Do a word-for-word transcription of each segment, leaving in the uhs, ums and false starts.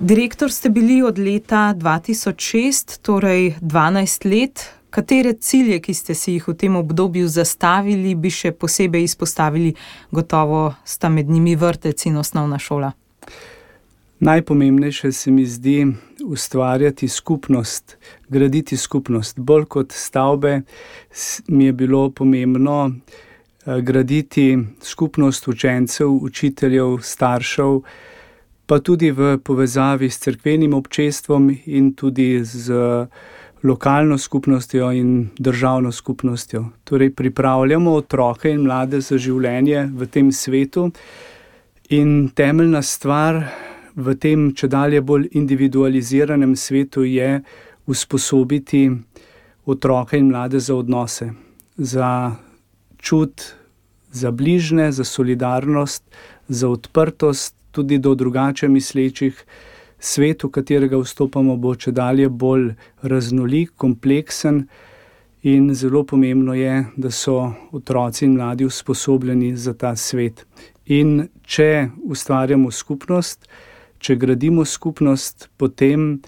Direktor ste bili od leta dva tisoč šest, torej dvanajst let. Katere cilje, ki ste si jih v tem obdobju zastavili, bi še posebej izpostavili? Gotovo sta med njimi vrtec in osnovna šola. Najpomembnejše se mi zdi ustvarjati skupnost, graditi skupnost. Bolj kot stavbe mi je bilo pomembno graditi skupnost učencev, učiteljev, staršev, pa tudi v povezavi s cerkvenim občestvom in tudi z lokalno skupnostjo in državno skupnostjo. Torej pripravljamo otroke in mlade za življenje v tem svetu in temeljna stvar v tem čedalje bolj individualiziranem svetu je usposobiti otroke in mlade za odnose, za čut, za bližne, za solidarnost, za odprtost tudi do drugače mislečih. Svet, v katerega vstopamo, bo čedalje bolj raznolik, kompleksen in zelo pomembno je, da so otroci in mladi usposobljeni za ta svet. In če ustvarjamo skupnost, če gradimo skupnost, potem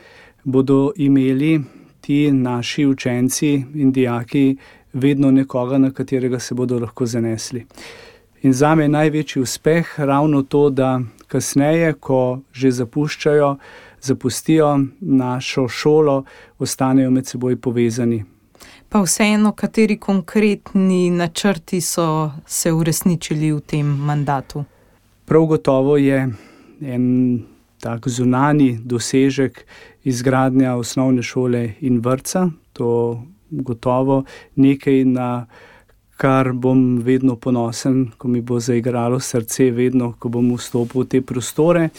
bodo imeli ti naši učenci in dijaki vedno nekoga, na katerega se bodo lahko zanesli. In zame je največji uspeh ravno to, da kasneje, ko že zapuščajo, zapustijo našo šolo, ostanejo med seboj povezani. Pa vseeno, kateri konkretni načrti so se uresničili v tem mandatu? Prav gotovo je en tak zunanji dosežek izgradnja osnovne šole in vrtca. To gotovo nekaj, na kar bom vedno ponosen, ko mi bo zaigralo srce vedno, ko bom vstopil v te prostore.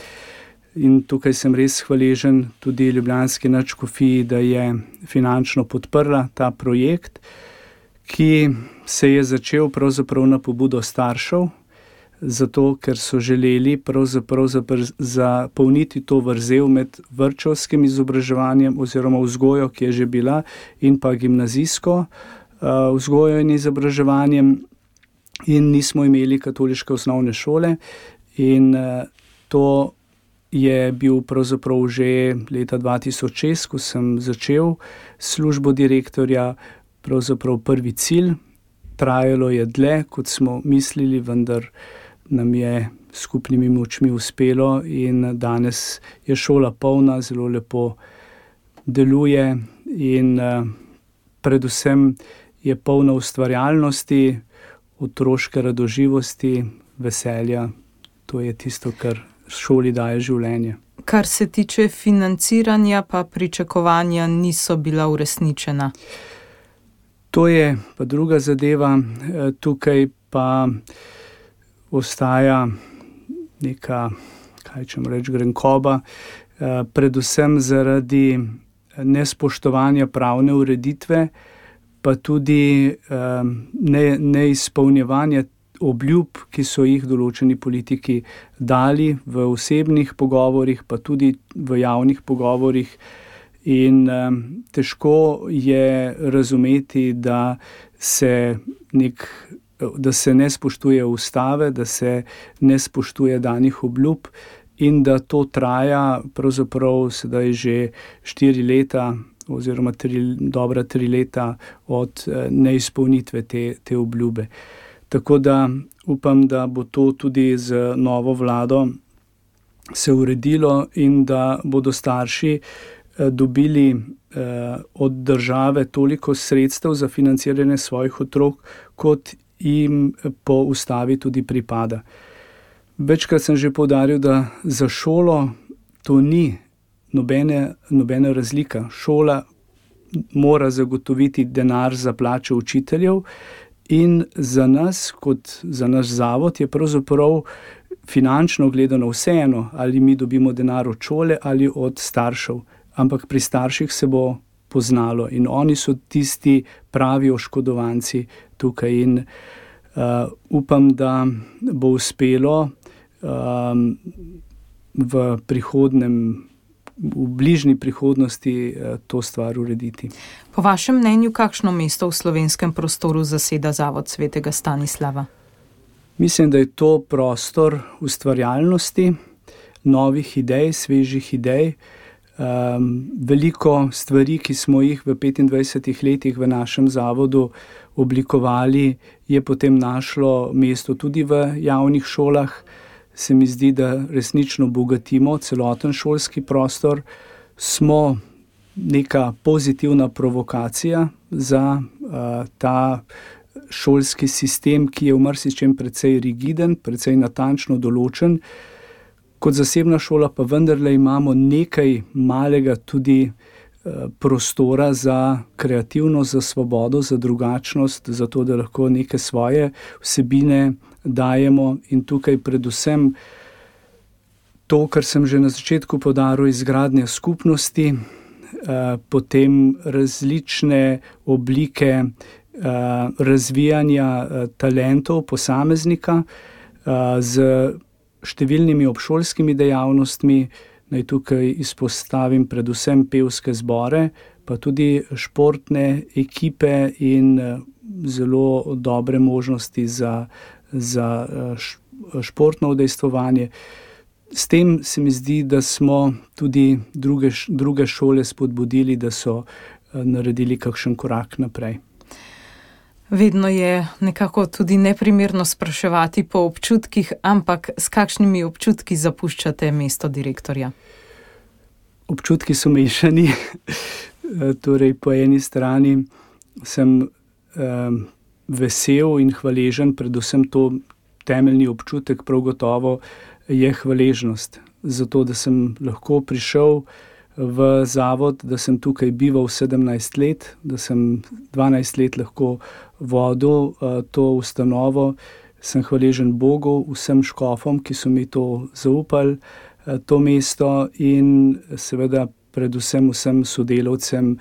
In tukaj sem res hvaležen tudi ljubljanski nadškofiji, da je finančno podprla ta projekt, ki se je začel pravzaprav na pobudo staršev, zato ker so želeli pravzaprav zapolniti to vrzel med vrtčevskim izobraževanjem oziroma vzgojo, ki je že bila, in pa gimnazijsko vzgojo in izobraževanjem, in nismo imeli katoliške osnovne šole. In to je bil pravzaprav že leta dva tisoč šest, ko sem začel službo direktorja, pravzaprav prvi cilj. Trajalo je dlje, kot smo mislili, vendar nam je skupnimi močmi uspelo in danes je šola polna, zelo lepo deluje in predvsem je polna ustvarjalnosti, otroške radoživosti, veselja. To je tisto, kar šoli daje življenje. Kar se tiče financiranja, pa pričakovanja niso bila uresničena. To je pa druga zadeva. Tukaj pa ostaja neka, kaj čem reči, grenkoba, predvsem zaradi nespoštovanja pravne ureditve, pa tudi ne, neizpolnjevanja obljub, ki so jih določeni politiki dali v osebnih pogovorih, pa tudi v javnih pogovorih. In težko je razumeti, da se, nek, da se ne spoštuje ustave, da se ne spoštuje danih obljub in da to traja pravzaprav sedaj že štiri leta oziroma tri, dobra tri leta od neizpolnitve te, te obljube. Tako da upam, da bo to tudi z novo vlado se uredilo in da bodo starši dobili od države toliko sredstev za financiranje svojih otrok, kot jim po ustavi tudi pripada. Večkrat sem že poudaril, da za šolo to ni nobene, nobena razlika. Šola mora zagotoviti denar za plače učiteljev in za nas, kot za naš zavod, je pravzaprav finančno gledano vseeno, ali mi dobimo denar od šole ali od staršev. Ampak pri starših se bo poznalo in oni so tisti pravi oškodovanci tukaj in uh, upam, da bo uspelo um, v prihodnem, v bližnji prihodnosti uh, to stvar urediti. Po vašem mnenju, kakšno mesto v slovenskem prostoru zaseda Zavod svetega Stanislava? Mislim, da je to prostor ustvarjalnosti, novih idej, svežih idej. Um, veliko stvari, ki smo jih v petindvajsetih letih v našem zavodu oblikovali, je potem našlo mesto tudi v javnih šolah. Se mi zdi, da resnično bogatimo celoten šolski prostor. Smo neka pozitivna provokacija za uh, ta šolski sistem, ki je v marsičem precej rigiden, precej natančno določen. Kot zasebna šola pa vendarle imamo nekaj malega tudi prostora za kreativnost, za svobodo, za drugačnost, za to, da lahko neke svoje vsebine dajemo in tukaj predvsem to, kar sem že na začetku poudaril, izgradnja skupnosti, potem različne oblike razvijanja talentov posameznika z številnimi obšolskimi dejavnostmi. Naj tukaj izpostavim predvsem pevske zbore, pa tudi športne ekipe in zelo dobre možnosti za, za športno udejstvovanje. S tem se mi zdi, da smo tudi druge, druge šole spodbudili, da so naredili kakšen korak naprej. Vedno je nekako tudi neprimerno spraševati po občutkih, ampak s kakšnimi občutki zapuščate mesto direktorja? Občutki so mešani. Torej, po eni strani sem eh, vesel in hvaležen, predvsem to temeljni občutek prav gotovo je hvaležnost. Zato, da sem lahko prišel v zavod, da sem tukaj bival sedemnajst let, da sem dvanajst let lahko vodil uh, to ustanovo. Sem hvaležen Bogu, vsem škofom, ki so mi to zaupali, uh, to mesto in seveda predvsem vsem sodelavcem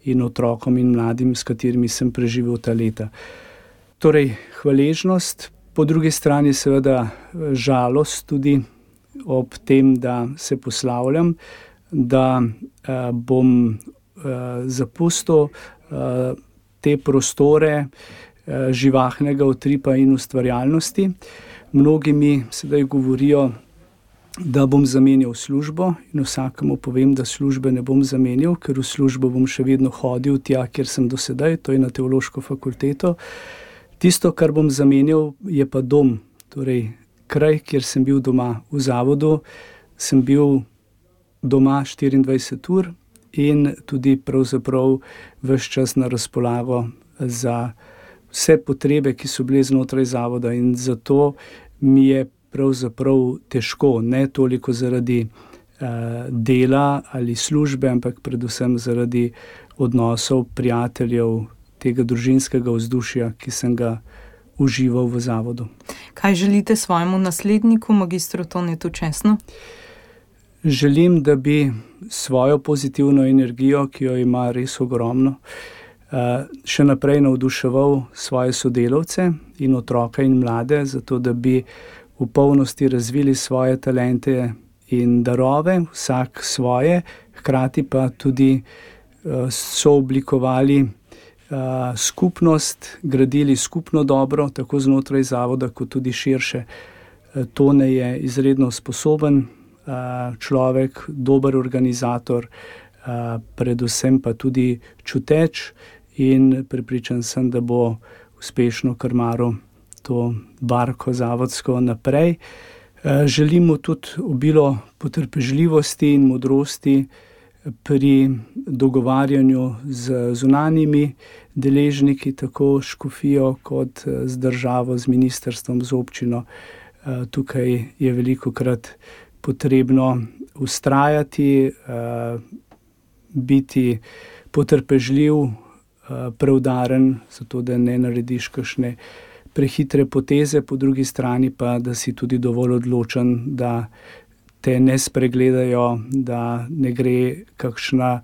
in otrokom in mladim, s katerimi sem preživel ta leta. Torej, hvaležnost, po drugi strani seveda žalost tudi ob tem, da se poslavljam, da uh, bom uh, zapustil uh, te prostore uh, živahnega utripa in ustvarjalnosti. Mnogi mi sedaj govorijo, da bom zamenjal službo in vsakemu povem, da službe ne bom zamenjal, ker v službo bom še vedno hodil tja, kjer sem do sedaj, to je na teološko fakulteto. Tisto, kar bom zamenjal, je pa dom, torej kraj, kjer sem bil doma v zavodu, sem bil doma štiriindvajset ur in tudi pravzaprav ves čas na razpolago za vse potrebe, ki so bile znotraj zavoda in zato mi je pravzaprav težko, ne toliko zaradi uh, dela ali službe, ampak predvsem zaradi odnosov, prijateljev, tega družinskega vzdušja, ki sem ga užival v zavodu. Kaj želite svojemu nasledniku, magistru Tonetu Česnu? Želim, da bi svojo pozitivno energijo, ki jo ima res ogromno, še naprej navduševal svoje sodelavce in otroka in mlade, zato da bi v polnosti razvili svoje talente in darove, vsak svoje, hkrati pa tudi sooblikovali skupnost, gradili skupno dobro, tako znotraj zavoda, kot tudi širše. Tone je izredno sposoben človek, dober organizator, predvsem pa tudi čuteč in prepričan sem, da bo uspešno krmaril to barko zavodsko naprej. Želimo tudi obilo potrpežljivosti in modrosti pri dogovarjanju z zunanjimi deležniki, tako škofijo kot z državo, z ministrstvom, z občino. Tukaj je velikokrat potrebno vztrajati, biti potrpežljiv, preudaren, zato da ne narediš kakšne prehitre poteze, po drugi strani pa, da si tudi dovolj odločen, da te ne spregledajo, da ne gre kakšna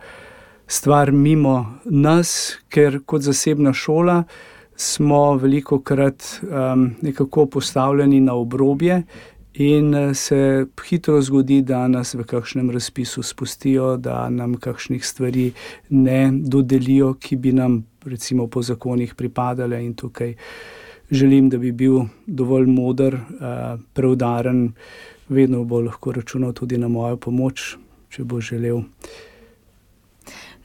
stvar mimo nas, ker kot zasebna šola smo velikokrat um, nekako postavljeni na obrobje in se hitro zgodi, da nas v kakšnem razpisu spustijo, da nam kakšnih stvari ne dodelijo, ki bi nam recimo po zakonih pripadale, in tukaj želim, da bi bil dovolj moder, preudaren, vedno bo lahko računal tudi na mojo pomoč, če bo želel.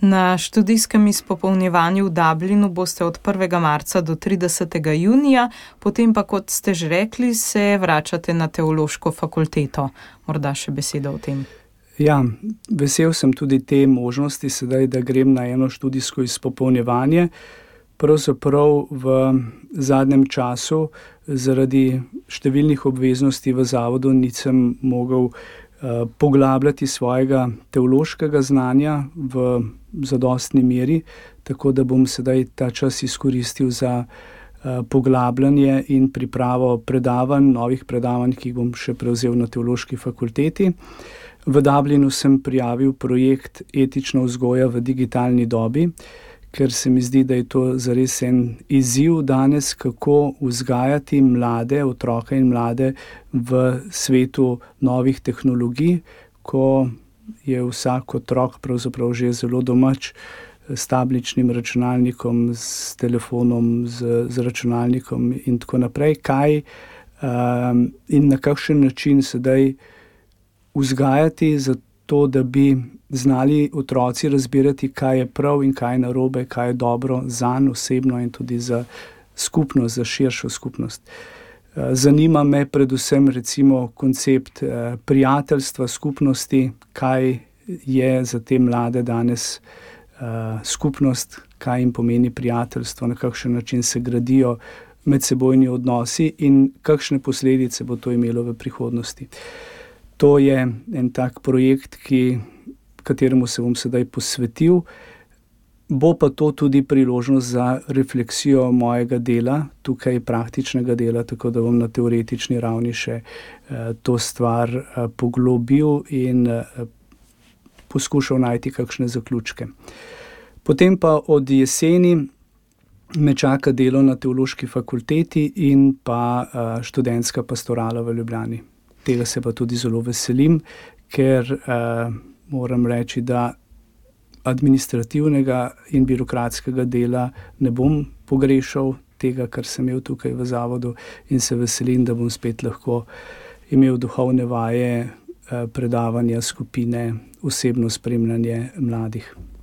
Na študijskem izpopolnjevanju v Dublinu boste od prvega marca do tridesetega junija, potem pa, kot ste že rekli, se vračate na teološko fakulteto. Morda še beseda o tem. Ja, vesel sem tudi te možnosti sedaj, da grem na eno študijsko izpopolnjevanje. Pravzaprav v zadnjem času zaradi številnih obveznosti v zavodu nisem mogel poglabljati svojega teološkega znanja v zadostni meri, tako da bom sedaj ta čas izkoristil za poglabljanje in pripravo predavanj, novih predavanj, ki jih bom še prevzel na teološki fakulteti. V Dublinu sem prijavil projekt Etična vzgoja v digitalni dobi, ker se mi zdi, da je to zares en izziv danes, kako vzgajati mlade, otroke in mlade v svetu novih tehnologij, ko je vsak otrok pravzaprav že zelo domač s tabličnim računalnikom, s telefonom, z, z računalnikom in tako naprej. Kaj um, in na kakšen način sedaj vzgajati za to, da bi znali otroci razbirati, kaj je prav in kaj je narobe, kaj je dobro zanj osebno in tudi za skupnost, za širšo skupnost. Zanima me predvsem recimo koncept prijateljstva, skupnosti, kaj je za te mlade danes skupnost, kaj jim pomeni prijateljstvo, na kakšen način se gradijo medsebojni odnosi in kakšne posledice bo to imelo v prihodnosti. To je en tak projekt, ki, kateremu se bom sedaj posvetil. Bo pa to tudi priložnost za refleksijo mojega dela, tukaj praktičnega dela, tako da bom na teoretični ravni še eh, to stvar eh, poglobil in eh, poskušal najti kakšne zaključke. Potem pa od jeseni me čaka delo na teološki fakulteti in pa eh, študentska pastorala v Ljubljani. Tega se pa tudi zelo veselim, ker eh, moram reči, da administrativnega in birokratskega dela ne bom pogrešal, tega, kar sem imel tukaj v zavodu, in se veselim, da bom spet lahko imel duhovne vaje, eh, predavanja, skupine, osebno spremljanje mladih.